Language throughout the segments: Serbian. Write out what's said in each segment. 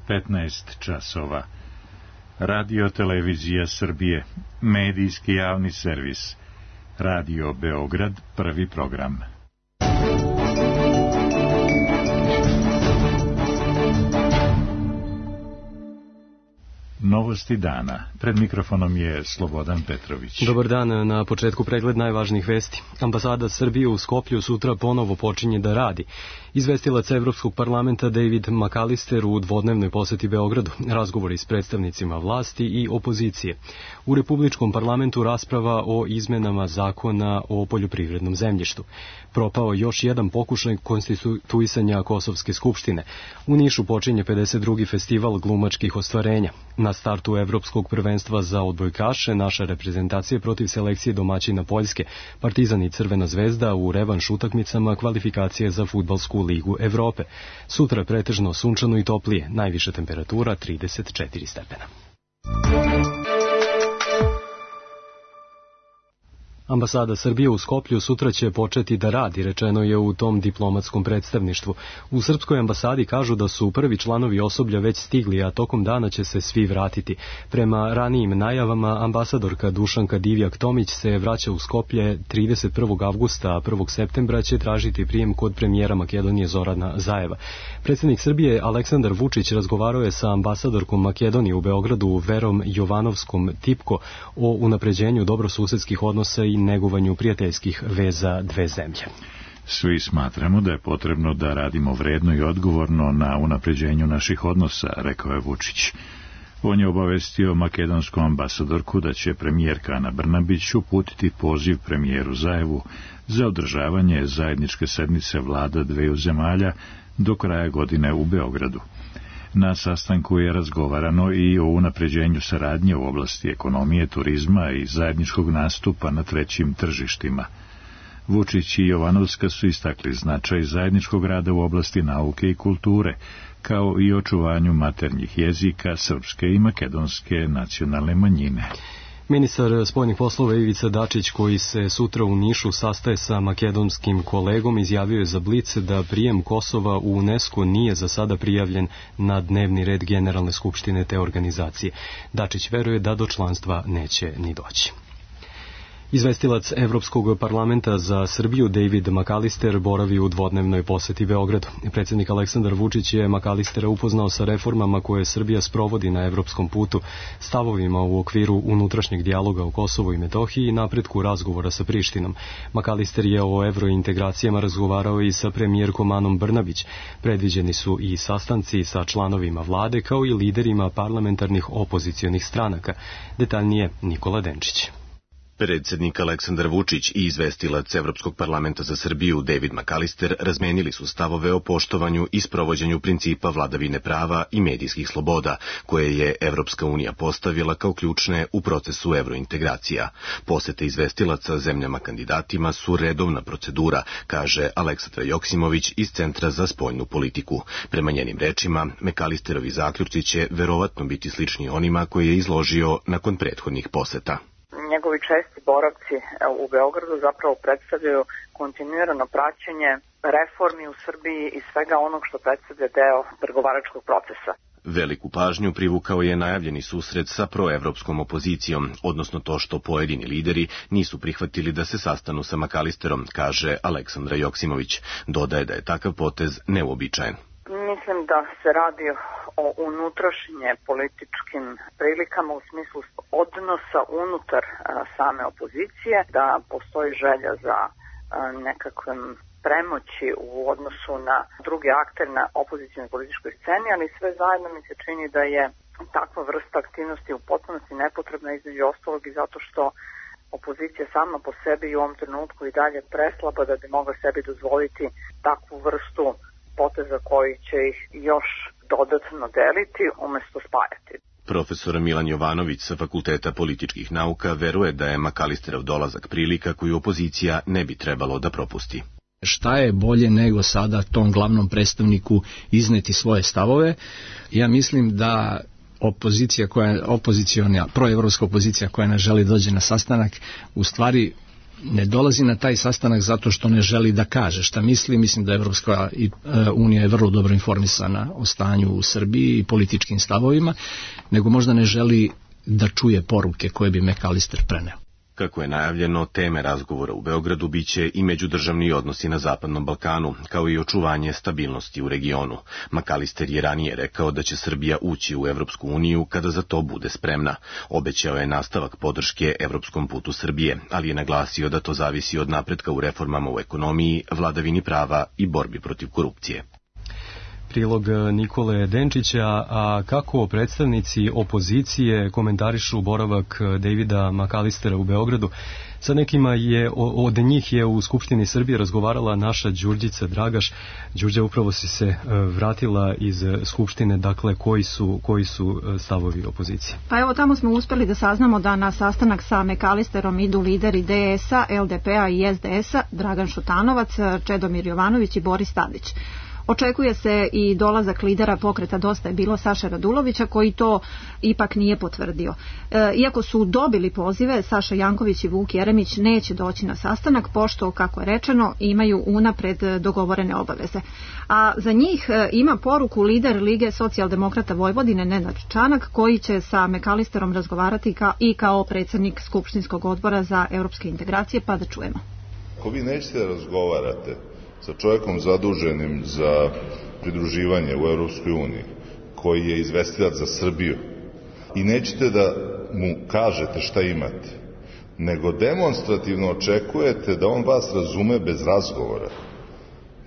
15 časova. Radio Televizija Srbije, medijski javni servis. Radio Beograd, prvi program. Novosti dana. Pred mikrofonom je Slobodan Petrović. Dobar dan, na početku pregled najvažnijih vesti. Ambasada Srbije u Skoplju sutra ponovo počinje da radi. Izvestilac Evropskog parlamenta David McAllister u dvodnevnoj poseti Beogradu, razgovori s predstavnicima vlasti i opozicije. U Republičkom parlamentu rasprava o izmenama zakona o poljoprivrednom zemljištu. Propao još jedan pokušaj konstituisanja Kosovske skupštine. U Nišu počinje 52. festival glumačkih ostvarenja. Na startu Evropskog prvenstva za odbojkaše naša reprezentacija protiv selekcije domaćina Poljske, Partizan i Crvena zvezda u revanš utakmicama kvalifikacije za Fudbalsku ligu Evrope. Sutra pretežno sunčano i toplije, najviša temperatura 34 stepena. Ambasada Srbije u Skoplju sutra će početi da radi, rečeno je u tom diplomatskom predstavništvu. U Srpskoj ambasadi kažu da su prvi članovi osoblja već stigli, a tokom dana će se svi vratiti. Prema ranijim najavama, ambasadorka Dušanka Divjak-Tomić se vraća u Skoplje 31. avgusta, a 1. septembra će tražiti prijem kod premijera Makedonije Zorana Zajeva. Predsjednik Srbije Aleksandar Vučić razgovarao je sa ambasadorkom Makedonije u Beogradu Verom Jovanovskom Tipko o unapređenju dobrosusedskih odnosa i negovanju prijateljskih veza dve zemlje. Svi smatramo da je potrebno da radimo vredno i odgovorno na unapređenju naših odnosa, rekao je Vučić. On je obavestio makedonsku ambasadorku da će premijerka Ana Brnabić uputiti poziv premijeru Zajevu za održavanje zajedničke sednice vlada dveju zemalja do kraja godine u Beogradu. Na sastanku je razgovarano i o unapređenju saradnje u oblasti ekonomije, turizma i zajedničkog nastupa na trećim tržištima. Vučić i Jovanovska su istakli značaj zajedničkog rada u oblasti nauke i kulture, kao i očuvanju maternjih jezika srpske i makedonske nacionalne manjine. Ministar spoljnih poslova Ivica Dačić, koji se sutra u Nišu sastaje sa makedonskim kolegom, izjavio je za Blic da prijem Kosova u UNESCO nije za sada prijavljen na dnevni red Generalne skupštine te organizacije. Dačić veruje da do članstva neće ni doći. Izvestilac Evropskog parlamenta za Srbiju David McAllister boravi u dvodnevnoj poseti Beogradu. Predsjednik Aleksandar Vučić je McAllistera upoznao sa reformama koje Srbija sprovodi na evropskom putu, stavovima u okviru unutrašnjeg dijaloga o Kosovu i Metohiji i napretku razgovora sa Prištinom. McAllister je o evrointegracijama razgovarao i sa premijerkom Anom Brnabić. Predviđeni su i sastanci sa članovima vlade kao i liderima parlamentarnih opozicionih stranaka. Detaljnije Nikola Denčić. Predsjednik Aleksandar Vučić i izvestilac Evropskog parlamenta za Srbiju David McAllister razmenili su stavove o poštovanju i sprovođenju principa vladavine prava i medijskih sloboda, koje je Evropska unija postavila kao ključne u procesu evrointegracija. Posete izvestilaca zemljama kandidatima su redovna procedura, kaže Aleksandra Joksimović iz Centra za spoljnu politiku. Prema njenim rečima, McAllisterovi zaključci će verovatno biti slični onima koje je izložio nakon prethodnih poseta. Njegovi česti boravci u Beogradu zapravo predstavljaju kontinuirano praćenje reformi u Srbiji i svega onog što predstavlja deo pregovaračkog procesa. Veliku pažnju privukao je najavljeni susret sa proevropskom opozicijom, odnosno to što pojedini lideri nisu prihvatili da se sastanu sa McAllisterom, kaže Aleksandra Joksimović. Dodaje da je takav potez neuobičajen. Mislim da se radi o unutrašnje političkim prilikama u smislu odnosa unutar same opozicije, da postoji želja za nekakvim premoći u odnosu na druge aktere na opozicijnoj političkoj sceni, ali sve zajedno mi se čini da je takva vrsta aktivnosti u potpunosti nepotrebna, između ostalog i zato što opozicija sama po sebi i u ovom trenutku i dalje preslaba da bi mogla sebi dozvoliti takvu vrstu poteza koji će ih još dodatno deliti umjesto spajati. Profesor Milan Jovanović sa Fakulteta političkih nauka veruje da je McAllisterov dolazak prilika koju opozicija ne bi trebalo da propusti. Šta je bolje nego sada tom glavnom predstavniku izneti svoje stavove? Ja mislim da opozicija koja proevropska opozicija koja ne želi dođe na sastanak, u stvari ne dolazi na taj sastanak zato što ne želi da kaže šta misli. Mislim da Evropska unija je vrlo dobro informisana o stanju u Srbiji i političkim stavovima, nego možda ne želi da čuje poruke koje bi McAllister preneo. Kako je najavljeno, teme razgovora u Beogradu biće i međudržavni odnosi na Zapadnom Balkanu, kao i očuvanje stabilnosti u regionu. McAllister je ranije rekao da će Srbija ući u Evropsku uniju kada za to bude spremna. Obećao je nastavak podrške evropskom putu Srbije, ali je naglasio da to zavisi od napretka u reformama u ekonomiji, vladavini prava i borbi protiv korupcije. Prilog Nikole Denčića, a kako predstavnici opozicije komentarišu boravak Davida McAllistera u Beogradu. Sa nekima od njih je u Skupštini Srbije razgovarala naša Đurđica Dragaš. Đurđa, upravo si se vratila iz Skupštine, dakle koji su stavovi opozicije? Pa evo, tamo smo uspeli da saznamo da na sastanak sa McAllisterom idu lideri DS-a, LDP-a i SDS-a, Dragan Šutanovac, Čedomir Jovanović i Boris Tadić. Očekuje se i dolazak lidera pokreta Dosta je bilo Saše Radulovića, koji to ipak nije potvrdio. Iako su dobili pozive, Saša Janković i Vuk Jeremić neće doći na sastanak, pošto, kako je rečeno, imaju unapred dogovorene obaveze. A za njih ima poruku lider Lige socijaldemokrata Vojvodine Nenad Čanak, koji će sa McAllisterom razgovarati i kao predsjednik Skupštinskog odbora za europske integracije, pa da čujemo. Ako vi nećete da razgovarate sa čovjekom zaduženim za pridruživanje u Europskoj uniji, koji je izvestilac za Srbiju, i nećete da mu kažete šta imate, nego demonstrativno očekujete da on vas razume bez razgovora,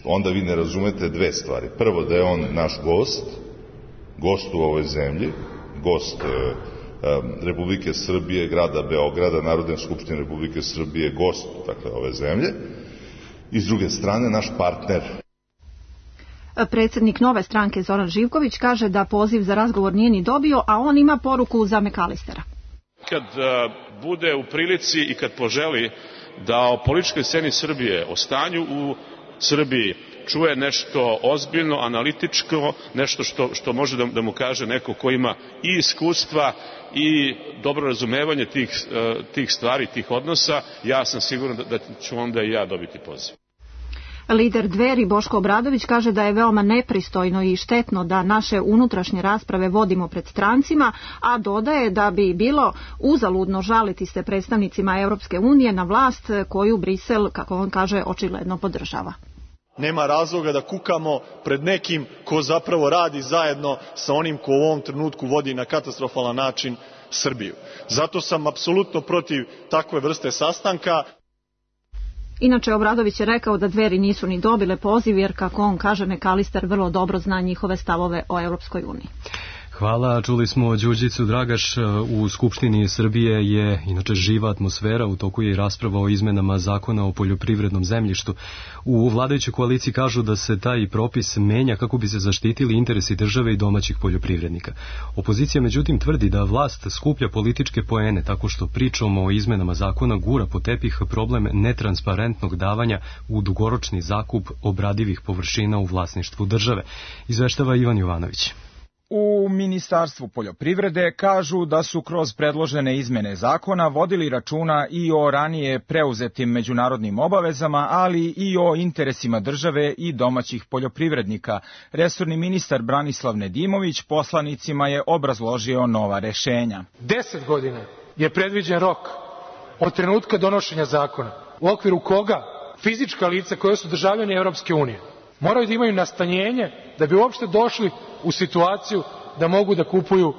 onda vi ne razumete dve stvari. Prvo, da je on naš gost u ovoj zemlji, gost Republike Srbije, grada Beograda, Narodne skupštine Republike Srbije, gost, dakle, ove zemlje, i s druge strane naš partner. Predsjednik Nove stranke Zoran Živković kaže da poziv za razgovor nije ni dobio, a on ima poruku za McAllistera. Kad bude u prilici i kad poželi da o političkoj sceni Srbije, o stanju u Srbiji čuje nešto ozbiljno, analitičko, nešto što može da mu kaže neko ko ima i iskustva i dobro razumevanje tih stvari, tih odnosa, ja sam siguran da ću onda i ja dobiti poziv. Lider Dveri Boško Obradović kaže da je veoma nepristojno i štetno da naše unutrašnje rasprave vodimo pred strancima, a dodaje da bi bilo uzaludno žaliti se predstavnicima Europske unije na vlast koju Brisel, kako on kaže, očigledno podržava. Nema razloga da kukamo pred nekim ko zapravo radi zajedno sa onim ko u ovom trenutku vodi na katastrofalan način Srbiju. Zato sam apsolutno protiv takve vrste sastanka. Inače, Obradović je rekao da Dveri nisu ni dobile poziv, jer, kako on kaže, McAllister vrlo dobro zna njihove stavove o Europskoj uniji. Hvala, čuli smo Đurđicu Dragaš. U Skupštini Srbije je inače živa atmosfera, u toku je i rasprava o izmenama zakona o poljoprivrednom zemljištu. U vladajućoj koaliciji kažu da se taj propis menja kako bi se zaštitili interesi države i domaćih poljoprivrednika. Opozicija međutim tvrdi da vlast skuplja političke poene tako što pričom o izmenama zakona gura po tepih problem netransparentnog davanja u dugoročni zakup obradivih površina u vlasništvu države. Izveštava Ivan Jovanović. U Ministarstvu poljoprivrede kažu da su kroz predložene izmene zakona vodili računa i o ranije preuzetim međunarodnim obavezama, ali i o interesima države i domaćih poljoprivrednika. Resorni ministar Branislav Nedimović poslanicima je obrazložio nova rešenja. 10 godina je predviđen rok od trenutka donošenja zakona, u okviru koga fizička lica koja su državljani Europske unije moraju da imaju nastanjenje da bi uopšte došli u situaciju da mogu da kupuju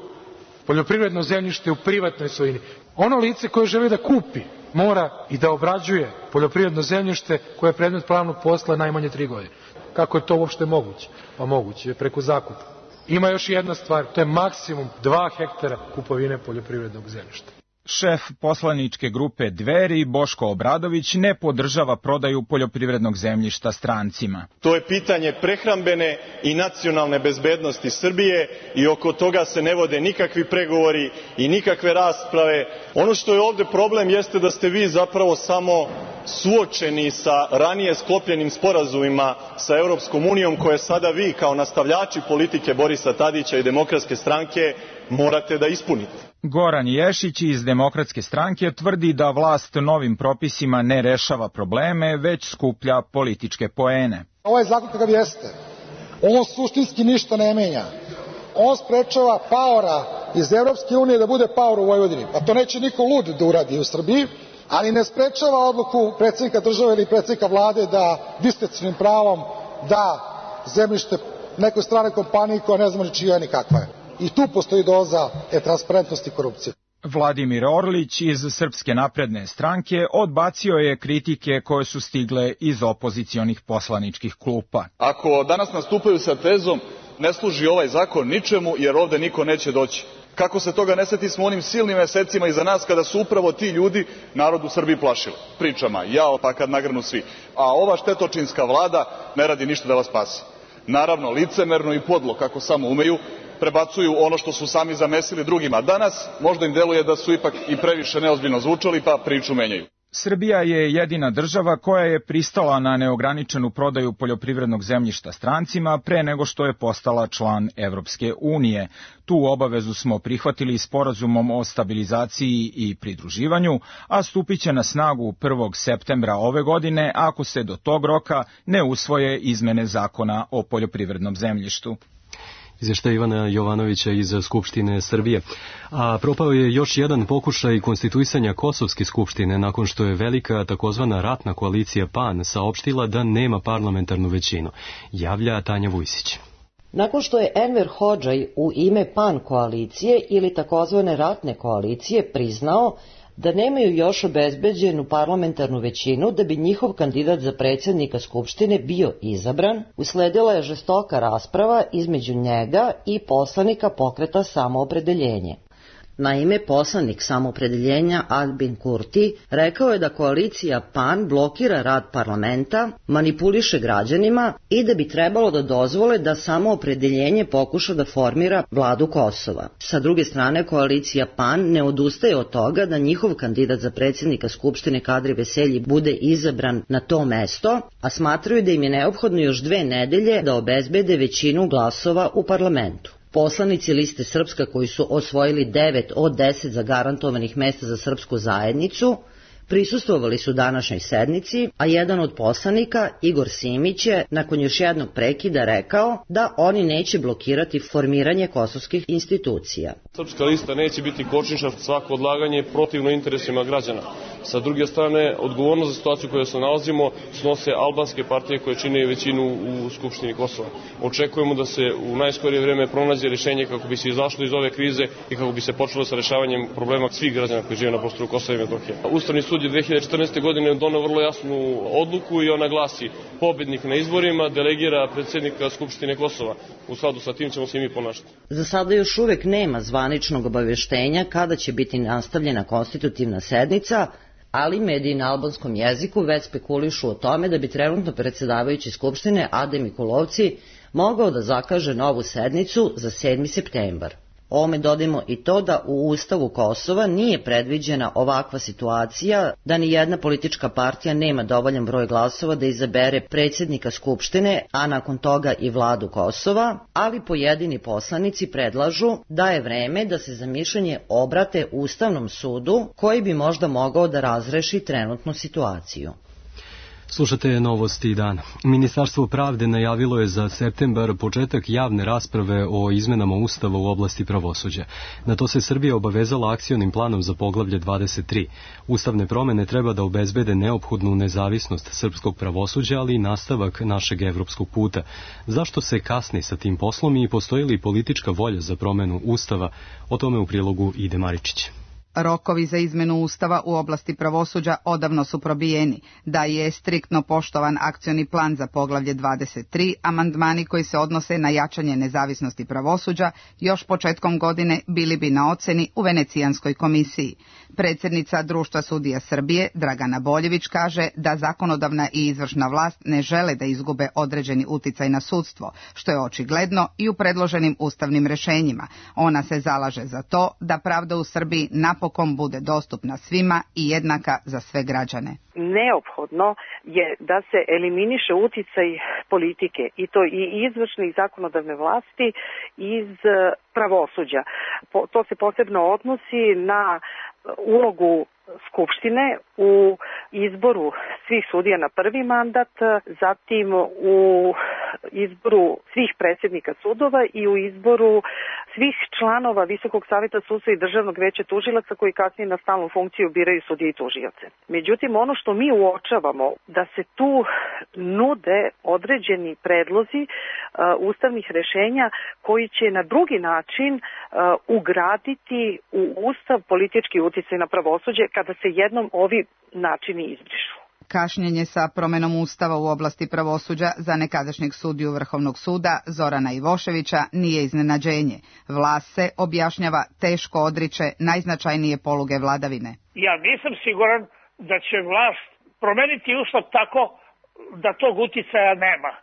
poljoprivredno zemljište u privatnoj svojini. Ono lice koje želi da kupi mora i da obrađuje poljoprivredno zemljište koje je predmet pravnog posla najmanje 3 godine. Kako je to uopšte moguće? Pa moguće je preko zakupa. Ima još jedna stvar, to je maksimum 2 hektara kupovine poljoprivrednog zemljišta. Šef poslaničke grupe Dveri Boško Obradović ne podržava prodaju poljoprivrednog zemljišta strancima. To je pitanje prehrambene i nacionalne bezbednosti Srbije i oko toga se ne vode nikakvi pregovori i nikakve rasprave. Ono što je ovde problem jeste da ste vi zapravo samo suočeni sa ranije sklopljenim sporazumima sa Europskom unijom, koje sada vi kao nastavljači politike Borisa Tadića i Demokratske stranke morate da ispunite. Goran Ješić iz Demokratske stranke tvrdi da vlast novim propisima ne rešava probleme, već skuplja političke poene. Ovaj zakon kakav jeste, on suštinski ništa ne menja. On sprečava paora iz Evropske unije da bude paor u Vojvodini. Pa to neće niko lud da uradi u Srbiji, ali ne sprečava odluku predsjednika države ili predsjednika vlade da diskrecionim pravom da zemljište nekoj stranoj kompaniji koja ne znamo ni čija ni kakva je. I tu postoji doza transparentnosti i korupcije. Vladimir Orlić iz Srpske napredne stranke odbacio je kritike koje su stigle iz opozicionih poslaničkih klupa. Ako danas nastupaju sa tezom ne služi ovaj zakon ničemu jer ovde niko neće doći. Kako se toga ne seti smo onim silnim mesecima iza nas kada su upravo ti ljudi narod u Srbiji plašili pričama, jao pa kad nagrnu svi. A ova štetočinska vlada ne radi ništa da vas spasi. Naravno, licemerno i podlo, kako samo umeju, prebacuju ono što su sami zamesili drugima. Danas možda im deluje da su ipak i previše neozbiljno zvučali pa priču menjaju. Srbija je jedina država koja je pristala na neograničenu prodaju poljoprivrednog zemljišta strancima pre nego što je postala član Evropske unije. Tu obavezu smo prihvatili sporazumom o stabilizaciji i pridruživanju, a stupiće na snagu 1. septembra ove godine ako se do tog roka ne usvoje izmene zakona o poljoprivrednom zemljištu. Izvještaj Ivana Jovanovića iz Skupštine Srbije. A propao je još jedan pokušaj konstituisanja Kosovske skupštine nakon što je velika takozvana ratna koalicija PAN saopštila da nema parlamentarnu većinu. Javlja Tanja Vujsić. Nakon što je Enver Hodžaj u ime PAN koalicije ili takozvane ratne koalicije priznao da nemaju još obezbeđenu parlamentarnu većinu da bi njihov kandidat za predsjednika Skupštine bio izabran, usledila je žestoka rasprava između njega i poslanika Pokreta Samoopredeljenje. Naime, poslanik Samoopredeljenja Albin Kurti rekao je da koalicija PAN blokira rad parlamenta, manipuliše građanima i da bi trebalo da dozvole da Samoopredeljenje pokuša da formira vladu Kosova. Sa druge strane, koalicija PAN ne odustaje od toga da njihov kandidat za predsjednika Skupštine Kadri Veselji bude izabran na to mesto, a smatraju da im je neophodno još 2 nedelje da obezbede većinu glasova u parlamentu. Poslanici Liste Srpska koji su osvojili 9 od 10 zagarantovanih mesta za srpsku zajednicu prisustvovali su današnjoj sednici, a jedan od poslanika, Igor Simić, je nakon još jednog prekida rekao da oni neće blokirati formiranje kosovskih institucija. Srpska lista neće biti kočničar, svako odlaganje protivno interesima građana. Sa druge strane, odgovornost za situaciju u kojoj se nalazimo snose albanske partije koje čine većinu u Skupštini Kosova. Očekujemo da se u najskorije vreme pronađe rješenje kako bi se izašlo iz ove krize i kako bi se počelo sa rešavanjem problema svih građana koji žive na prostoru Kosova i Metohije. Ustavni sud je 2014. godine doneo vrlo jasnu odluku i ona glasi: pobednik na izborima delegira predsjednika Skupštine Kosova. U skladu sa tim ćemo se i mi ponašati. Za sada još uvek nema zvaničnog obaveštenja kada će biti nastavljena konstitutivna sednica, ali mediji na albanskom jeziku već spekulišu o tome da bi trenutno predsjedavajući Skupštine Adem Mikulovci mogao da zakaže novu sednicu za 7. septembar. Ovome dodajmo i to da u Ustavu Kosova nije predviđena ovakva situacija da ni jedna politička partija nema dovoljan broj glasova da izabere predsjednika Skupštine, a nakon toga i vladu Kosova, ali pojedini poslanici predlažu da je vreme da se za mišljenje obrate Ustavnom sudu koji bi možda mogao da razreši trenutnu situaciju. Slušate novosti dana. Ministarstvo pravde najavilo je za septembar početak javne rasprave o izmenama Ustava u oblasti pravosuđa. Na to se Srbija obavezala akcionim planom za poglavlje 23. Ustavne promene treba da obezbede neophodnu nezavisnost srpskog pravosuđa, ali i nastavak našeg evropskog puta. Zašto se kasni sa tim poslom i postoji li politička volja za promenu Ustava? O tome u prilogu Ide Maričić. Rokovi za izmenu Ustava u oblasti pravosuđa odavno su probijeni. Da je striktno poštovan akcioni plan za poglavlje 23, amandmani koji se odnose na jačanje nezavisnosti pravosuđa još početkom godine bili bi na oceni u Venecijanskoj komisiji. Predsjednica Društva sudija Srbije, Dragana Boljević, kaže da zakonodavna i izvršna vlast ne žele da izgube određeni uticaj na sudstvo, što je očigledno i u predloženim ustavnim rešenjima. Ona se zalaže za to da pravda u Srbiji napokon bude dostupna svima i jednaka za sve građane. Neophodno je da se eliminiše uticaj politike, i to i izvršne i zakonodavne vlasti iz pravosuđa. To se posebno odnosi na ulogu Skupštine u izboru svih sudija na prvi mandat, zatim u izboru svih predsjednika sudova i u izboru svih članova Visokog saveta sudstva i Državnog veća tužilaca koji kasnije na stalnu funkciju biraju sudije i tužioce. Međutim, ono što mi uočavamo da se tu nude određeni predlozi ustavnih rešenja koji će na drugi način ugraditi u ustav politički uticaj na pravosuđe kada se jednom ovi načini izbrišu. Kašnjenje sa promenom ustava u oblasti pravosuđa za nekadašnjeg sudiju Vrhovnog suda Zorana Ivoševića nije iznenađenje. Vlast se, objašnjava, teško odriče najznačajnije poluge vladavine. Ja nisam siguran da će vlast promeniti ustav tako da tog uticaja nema,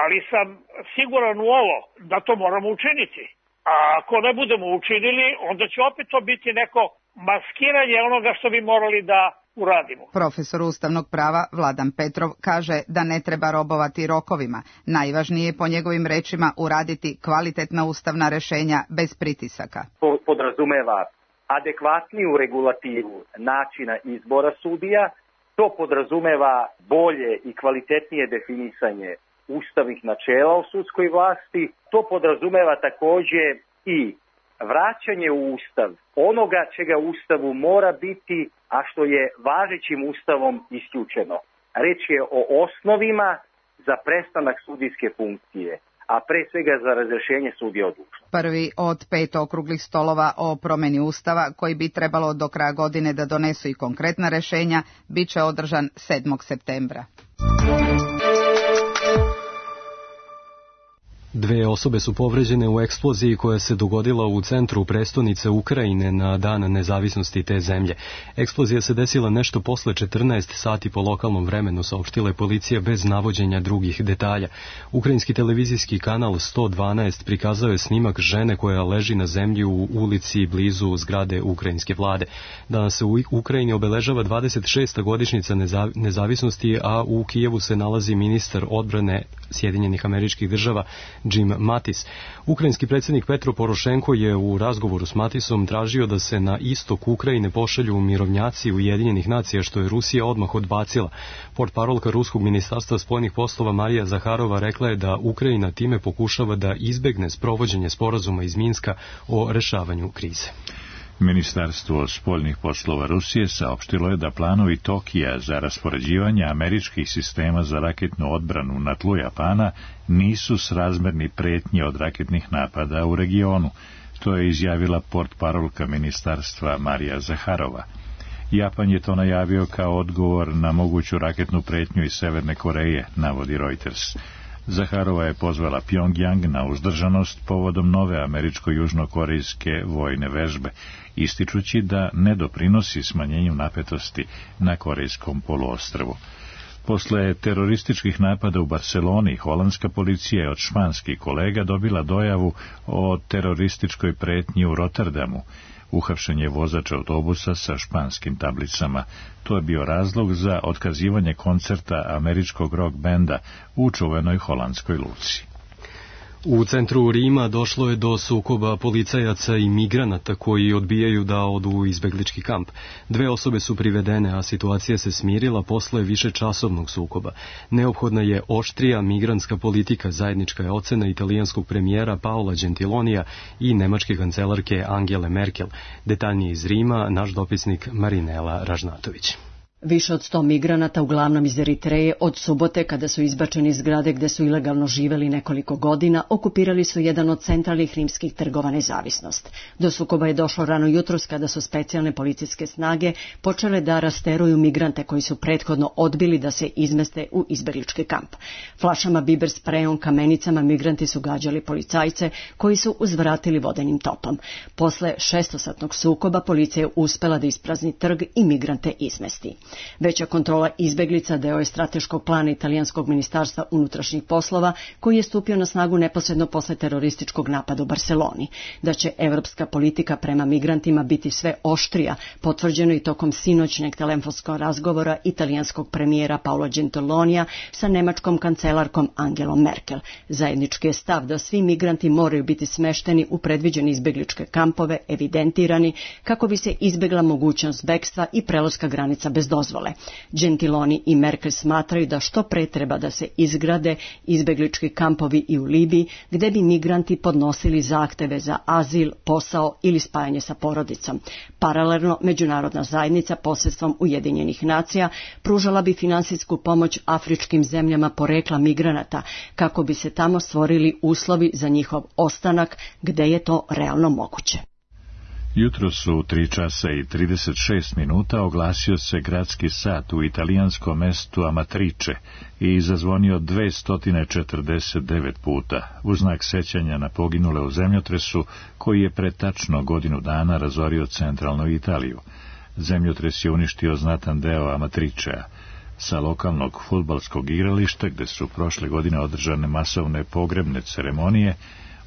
ali sam siguran u ovo da to moramo učiniti. A ako ne budemo učinili, onda će opet to biti neko maskiranje onoga što bi morali da uradimo. Profesor ustavnog prava Vladan Petrov kaže da ne treba robovati rokovima. Najvažnije je po njegovim rečima uraditi kvalitetna ustavna rešenja bez pritisaka. To podrazumeva adekvatniju regulativu načina izbora sudija, to podrazumeva bolje i kvalitetnije definisanje ustavnih načela u sudskoj vlasti, to podrazumeva takođe i vraćanje u ustav onoga čega u ustavu mora biti, a što je važećim ustavom isključeno. Reč je o osnovima za prestanak sudijske funkcije, a pre svega za razrešenje sudija od dužnosti. Prvi od 5 okruglih stolova o promeni ustava, koji bi trebalo do kraja godine da donesu i konkretna rešenja, bit će održan 7. septembra. 2 osobe su povređene u eksploziji koja se dogodila u centru prestonice Ukrajine na dan nezavisnosti te zemlje. Eksplozija se desila nešto posle 14 sati po lokalnom vremenu, saopštila je policija bez navođenja drugih detalja. Ukrajinski televizijski kanal 112 prikazao je snimak žene koja leži na zemlji u ulici blizu zgrade ukrajinske vlade. Danas se u Ukrajini obeležava 26. godišnjica nezavisnosti, a u Kijevu se nalazi ministar odbrane Sjedinjenih Američkih Država Jim Mattis. Ukrajinski predsjednik Petro Porošenko je u razgovoru s Mattisom tražio da se na istok Ukrajine pošalju mirovnjaci Ujedinjenih nacija, što je Rusija odmah odbacila. Portparolka Ruskog ministarstva spoljnih poslova Marija Zaharova rekla je da Ukrajina time pokušava da izbegne sprovođenje sporazuma iz Minska o rešavanju krize. Ministarstvo spoljnih poslova Rusije saopštilo je da planovi Tokija za raspoređivanje američkih sistema za raketnu odbranu na tlu Japana nisu srazmerni pretnji od raketnih napada u regionu. To je izjavila portparolka ministarstva Marija Zaharova. Japan je to najavio kao odgovor na moguću raketnu pretnju iz Severne Koreje, navodi Reuters. Zaharova je pozvala Pjongjang na uzdržanost povodom nove američko-južnokorejske vojne vežbe, ističući da ne doprinosi smanjenju napetosti na korejskom poluostrvu. Posle terorističkih napada u Barseloni, holandska policija je od španskih kolega dobila dojavu o terorističkoj pretnji u Rotterdamu. Uhapšen je vozač autobusa sa španskim tablicama. To je bio razlog za otkazivanje koncerta američkog rock benda u čuvenoj holandskoj luci. U centru Rima došlo je do sukoba policajaca i migranata koji odbijaju da odu u izbeglički kamp. 2 osobe su privedene, a situacija se smirila posle višečasovnog sukoba. Neophodna je oštrija migrantska politika, zajednička je ocena italijanskog premijera Paola Gentilonija i nemačke kancelarke Angele Merkel. Detaljnije iz Rima, naš dopisnik Marinela Ražnatović. Više od 100 migranata, uglavnom iz Eritreje, od subote, kada su izbačeni iz zgrade gde su ilegalno živeli nekoliko godina, okupirali su jedan od centralnih rimskih trgova Nezavisnost. Do sukoba je došlo rano jutros kada su specijalne policijske snage počele da rasteruju migrante koji su prethodno odbili da se izmeste u izbeglički kamp. Flašama, biber sprejom, kamenicama migranti su gađali policajce koji su uzvratili vodenim topom. Posle 6-satnog sukoba policija je uspela da isprazni trg i migrante izmesti. Veća kontrola izbeglica deo je strateškog plana italijanskog ministarstva unutrašnjih poslova koji je stupio na snagu neposredno posle terorističkog napada u Barseloni. Da će evropska politika prema migrantima biti sve oštrija, potvrđeno i tokom sinoćnjeg telefonskog razgovora italijanskog premijera Paolo Gentilonija sa nemačkom kancelarkom Angelom Merkel. Zajednički je stav da svi migranti moraju biti smešteni u predviđene izbegličke kampove, evidentirani, kako bi se izbegla mogućnost bekstva i prelaska granica bez dozvole. Gentiloni i Merkel smatraju da što pre treba da se izgrade izbeglički kampovi i u Libiji, gde bi migranti podnosili zahteve za azil, posao ili spajanje sa porodicom. Paralelno, međunarodna zajednica posredstvom Ujedinjenih nacija pružala bi finansijsku pomoć afričkim zemljama porekla migranata, kako bi se tamo stvorili uslovi za njihov ostanak, gde je to realno moguće. Jutro su u 3 časa i 36 minuta oglasio se gradski sat u italijanskom mestu Amatrice i zazvonio 249 puta u znak sećanja na poginule u zemljotresu koji je pre tačno godinu dana razorio centralnu Italiju. Zemljotres je uništio znatan deo Amatricea. Sa lokalnog fudbalskog igrališta, gde su prošle godine održane masovne pogrebne ceremonije,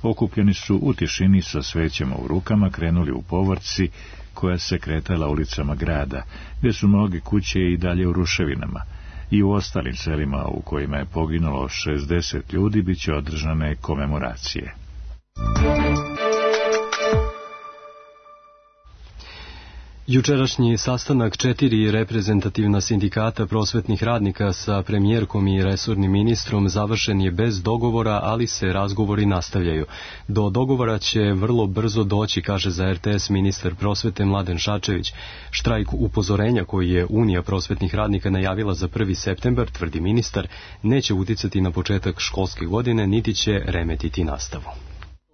okupljeni su u tišini sa svećama u rukama krenuli u povorci koja se kretala ulicama grada, gde su mnoge kuće i dalje u ruševinama. I u ostalim selima u kojima je poginulo 60 ljudi biće održane komemoracije. Jučerašnji sastanak 4 reprezentativna sindikata prosvetnih radnika sa premijerkom i resornim ministrom završen je bez dogovora, ali se razgovori nastavljaju. Do dogovora će vrlo brzo doći, kaže za RTS ministar prosvete Mladen Šarčević. Štrajk upozorenja koji je Unija prosvetnih radnika najavila za 1. septembar, tvrdi ministar, neće uticati na početak školske godine, niti će remetiti nastavu.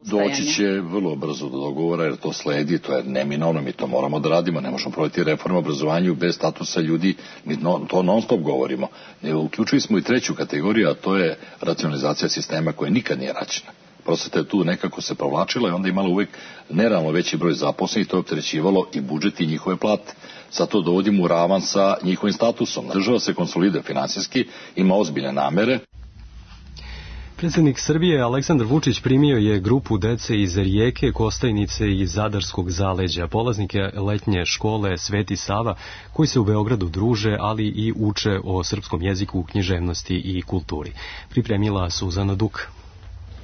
Doći će vrlo brzo do dogovora, jer to sledi, to je neminovno, mi to moramo da radimo, ne možemo provesti reformu obrazovanju bez statusa ljudi, mi to non stop govorimo. Uključili smo i treću kategoriju, a to je racionalizacija sistema koja nikad nije rađena. Prosveta je tu nekako se provlačila i onda imala uvek nerealno veći broj zaposlenih, to je opterećivalo i budžet i njihove plate. Sad to dovodimo u ravan sa njihovim statusom. Država se konsoliduje finansijski, ima ozbiljne namere. Predsjednik Srbije Aleksandar Vučić primio je grupu dece iz Rijeke, Kostajnice i Zadarskog zaleđa, polaznike letnje škole Sveti Sava, koji se u Beogradu druže, ali i uče o srpskom jeziku, književnosti i kulturi. Pripremila Suzana Duk.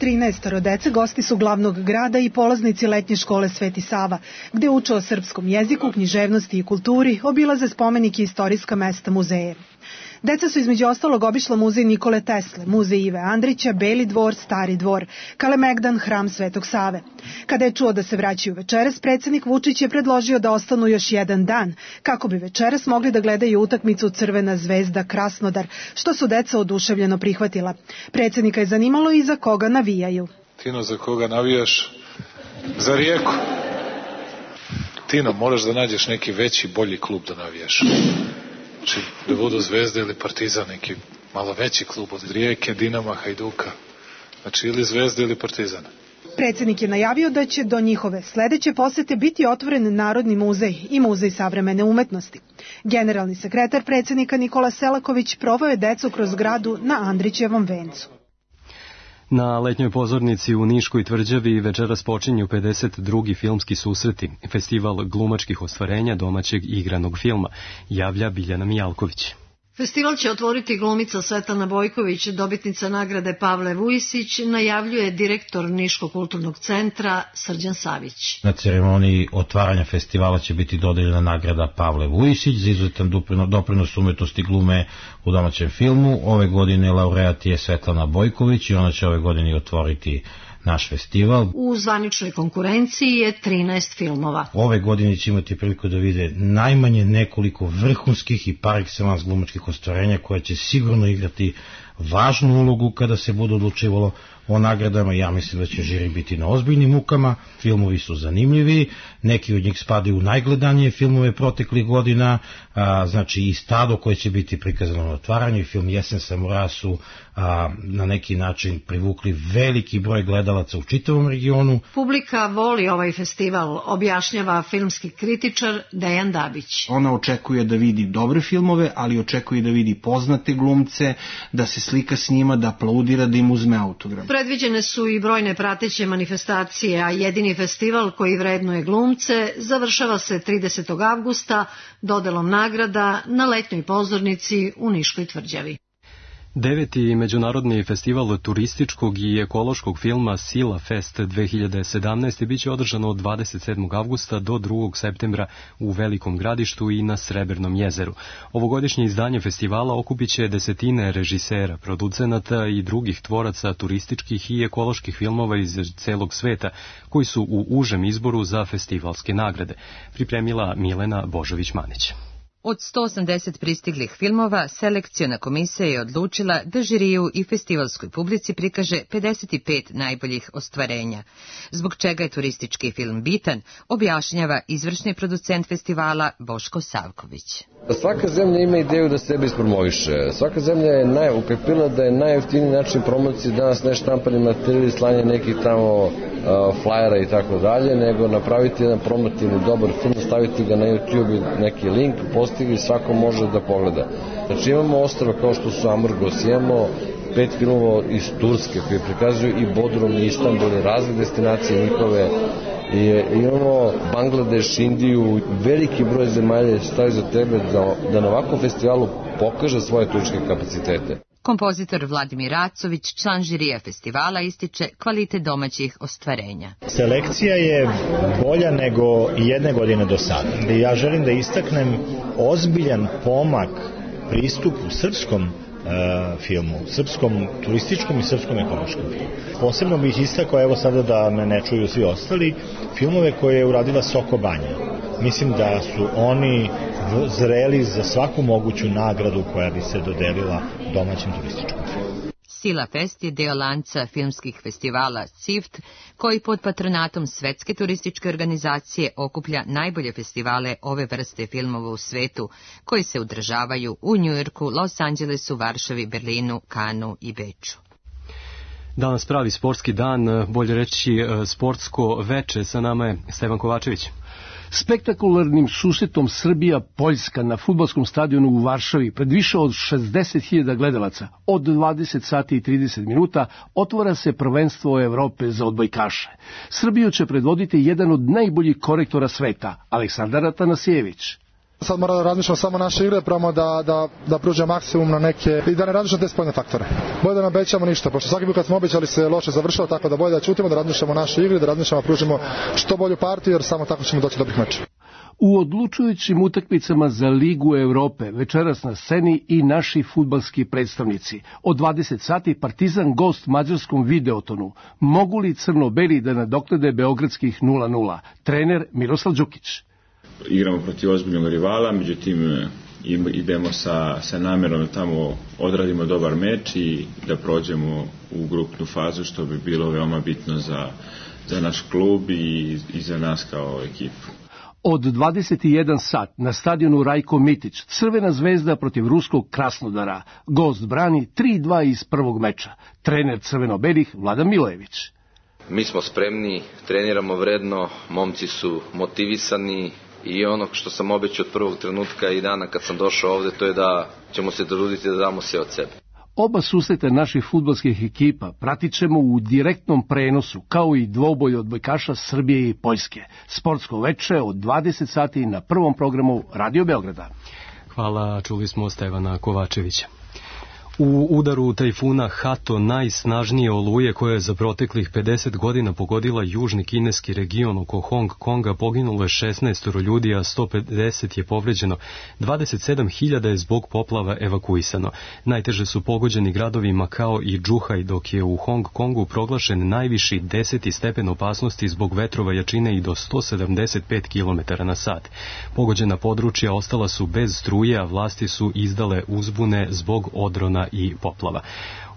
13 dece gosti su glavnog grada i polaznici letnje škole Sveti Sava, gde uče o srpskom jeziku, književnosti i kulturi, obilaze spomenike i istorijska mesta, muzeje. Deca su između ostalog obišla muzej Nikole Tesle, muzej Ive Andrića, Beli dvor, Stari dvor, Kalemegdan, hram Svetog Save. Kada je čuo da se vraćaju večeras, predsjednik Vučić je predložio da ostanu još jedan dan, kako bi večeras mogli da gledaju utakmicu Crvena zvezda Krasnodar, što su deca oduševljeno prihvatila. Predsjednika je zanimalo i za koga navijaju. Tino, za koga navijaš? Za Rijeku. Tino, moraš da nađeš neki veći, bolji klub da navijaš. Znači, da budu Zvezda ili Partizan, neki malo veći klub od Rijeke, Dinama, Hajduka. Znači, ili Zvezda ili Partizan. Predsjednik je najavio da će do njihove sledeće posete biti otvoren Narodni muzej i Muzej savremene umetnosti. Generalni sekretar predsjednika Nikola Selaković proveo je decu kroz gradu na Andrićevom vencu. Na letnjoj pozornici u Niškoj tvrđavi večeras počinju 52. filmski susreti, festival glumačkih ostvarenja domaćeg igranog filma, javlja Biljana Mijalković. Festival će otvoriti glumica Svetlana Bojković, dobitnica nagrade Pavle Vujsić, najavljuje direktor Niškog kulturnog centra Srđan Savić. Na ceremoniji otvaranja festivala će biti dodeljena nagrada Pavle Vujsić za izuzetan doprinos umetnosti glume u domaćem filmu. Ove godine laureat je Svetlana Bojković i ona će ove godine otvoriti naš festival. U zvaničnoj konkurenciji je 13 filmova. Ove godine će imati priliku da vide najmanje nekoliko vrhunskih i par excellence glumačkih ostvarenja koja će sigurno igrati važnu ulogu kada se bude odlučivalo o nagradama. Ja mislim da će žiri biti na ozbiljnim mukama, filmovi su zanimljivi, neki od njih spadaju u najgledanije filmove proteklih godina, znači i Stado koje će biti prikazano na otvaranju i film Jesen samuraja su na neki način privukli veliki broj gledalaca u čitavom regionu. Publika voli ovaj festival, objašnjava filmski kritičar Dejan Dabić. Ona očekuje da vidi dobre filmove, ali očekuje da vidi poznate glumce, da se slika s njima, da aplaudira, da im uzme autograf. Predviđene su i brojne prateće manifestacije, a jedini festival koji vrednuje glumce završava se 30. avgusta dodelom nagrada na letnjoj pozornici u Niškoj tvrđavi. 9. međunarodni festival turističkog i ekološkog filma Sila Fest 2017. biće održano od 27. avgusta do 2. septembra u Velikom Gradištu i na Srebrnom jezeru. Ovogodišnje izdanje festivala okupiće desetine režisera, producenata i drugih tvoraca turističkih i ekoloških filmova iz celog sveta, koji su u užem izboru za festivalske nagrade, pripremila Milena Božović-Manić. Od 180 pristiglih filmova, selekciona komisija je odlučila da žiriju i festivalskoj publici prikaže 55 najboljih ostvarenja. Zbog čega je turistički film bitan, objašnjava izvršni producent festivala Boško Savković. Svaka zemlja ima ideju da sebe ispromoviše. Svaka zemlja je ukapila da je najjeftiniji način promocije danas ne štampani materijal, slanje nekih tamo flajera i tako dalje, nego napraviti jedan promotivni dobar film, staviti ga na YouTube, neki link, postigli, svako može da pogleda. Znači imamo ostrava kao što su Amurgos, imamo 5 filmova iz Turske koji prikazuju i Bodrum i Istanbul i razne destinacije njihove. I imamo Bangladeš, Indiju, veliki broj zemalja stoji za tebe da na ovakvom festivalu pokaže svoje turističke kapacitete. Kompozitor Vladimir Racović, član žirija festivala, ističe kvalitet domaćih ostvarenja. Selekcija je bolja nego i jedne godine do sada. Ja želim da istaknem ozbiljan pomak pristupu srpskom filmu, srpskom turističkom i srpskom ekološkom filmu. Posebno bih istakao, evo sada da me ne čuju svi ostali, filmove koje je uradila Soko Banja. Mislim da su oni zreli za svaku moguću nagradu koja bi se dodelila domaćem turističkom filmu. Sila Fest je deo lanca filmskih festivala CIFT, koji pod patronatom Svetske turističke organizacije okuplja najbolje festivale ove vrste filmova u svetu, koji se održavaju u Njujorku, Los Angelesu, Varšavi, Berlinu, Kanu i Beču. Danas pravi sportski dan, bolje reći sportsko veče, sa nama je Stevan Kovačević. Spektakularnim susretom Srbija-Poljska na fudbalskom stadionu u Varšavi pred više od 60.000 gledalaca od 20 sati i 30 minuta otvara se prvenstvo Evrope za odbojkaše. Srbiju će predvoditi jedan od najboljih korektora sveta, Aleksandar Atanasijević. Sad moramo da razmišljamo samo naše igre, probamo da pružimo maksimum na neke i da ne razmišljamo te spoljne faktore. Bolje da ne obećamo ništa, pošto svaki put kad smo obećali se loše završava, tako da bolje da ćutimo, da razmišljamo naše igre, da razmišljamo da pružimo što bolju partiju, jer samo tako ćemo doći do dobrih meča. U odlučujućim utakmicama za Ligu Evrope večeras na sceni i naši fudbalski predstavnici. Od 20 sati Partizan gost mađarskom Videotonu. Mogu li crno-beli da nadoknade beogradskih 0:0? Trener Miroslav Đukić. Igramo protiv ozbiljnog rivala, međutim idemo sa namjerom da tamo odradimo dobar meč i da prođemo u grupnu fazu, što bi bilo veoma bitno za naš klub i za nas kao ekipu. Od 21 sat na stadionu Rajko Mitić, Crvena zvezda protiv ruskog Krasnodara. Gost brani 3:2 iz prvog meča. Trener crveno-belih Vladan Milojević. Mi smo spremni, treniramo vredno, momci su motivisani i ono što sam obećao od prvog trenutka i dana kad sam došao ovde, to je da ćemo se truditi da damo sve od sebe. Oba susreta naših fudbalskih ekipa pratit ćemo u direktnom prenosu, kao i dvoboj odbojkaša Srbije i Poljske. Sportsko veče od 20 sati na prvom programu Radio Beograda. Hvala, čuli smo Stevana Kovačevića. U udaru tajfuna Hato, najsnažnije oluje koja je za proteklih 50 godina pogodila južni kineski region oko Hong Konga, poginulo je 16 ljudi, a 150 je povređeno. 27.000 je zbog poplava evakuisano. Najteže su pogođeni gradovi Makao i Džuhaj, dok je u Hong Kongu proglašen najviši 10. stepen opasnosti zbog vetrova jačine i do 175 km na sat. Pogođena područja ostala su bez struje, a vlasti su izdale uzbune zbog odrona požara i poplava.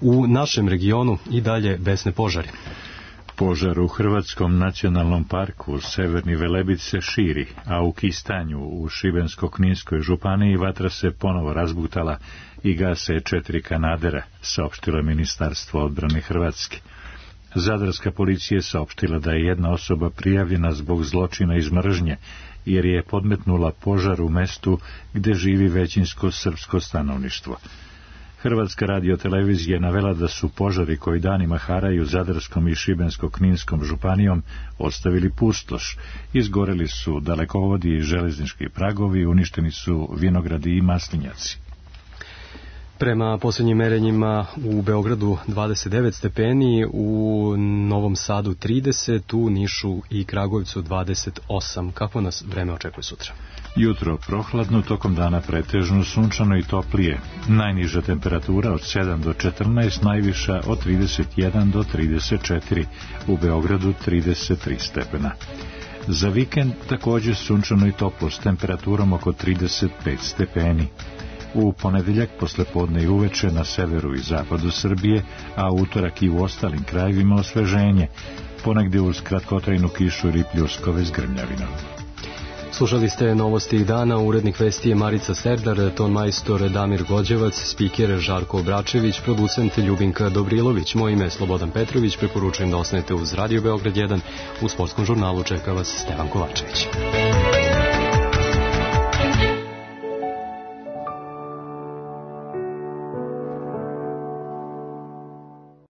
U našem regionu i dalje besne požari. Požar u Hrvatskom nacionalnom parku Severni Velebit se širi, a u Kistanju u Šibensko-Kninskoj županiji vatra se ponovo razbutala i gase 4 kanadera, saopštilo Ministarstvo odbrane Hrvatske. Zadarska policija je saopštila da je jedna osoba prijavljena zbog zločina iz mržnje, jer je podmetnula požar u mestu gde živi većinsko srpsko stanovništvo. Hrvatska radiotelevizija je navela da su požari koji danima haraju Zadarskom i Šibensko-Kninskom županijom ostavili pustoš, izgoreli su dalekovodi i železnički pragovi, uništeni su vinogradi i maslinjaci. Prema posljednjim merenjima u Beogradu 29 stepeni, u Novom Sadu 30, u Nišu i Kragujevcu 28. Kako nas vreme očekuje sutra? Jutro prohladno, tokom dana pretežno sunčano i toplije. Najniža temperatura od 7 do 14, najviša od 31 do 34, u Beogradu 33 stepena. Za vikend također sunčano i toplo s temperaturom oko 35 stepeni. U ponedeljak poslepodne i uveče na severu i zapadu Srbije, a utorak i u ostalim krajevima osveženje, ponegdje uz kratkotrajnu kišu ili pljuskove s grmljavinom. Slušali ste novosti dana, urednik vesti je Marica Serdar, tonmajstor Damir Gođevac, spiker Žarko Obračević, producent Ljubinka Dobrilović. Moje ime je Slobodan Petrović, preporučujem da ostanete uz Radio Beograd 1. U sportskom žurnalu čeka vas Stevan Kovačević.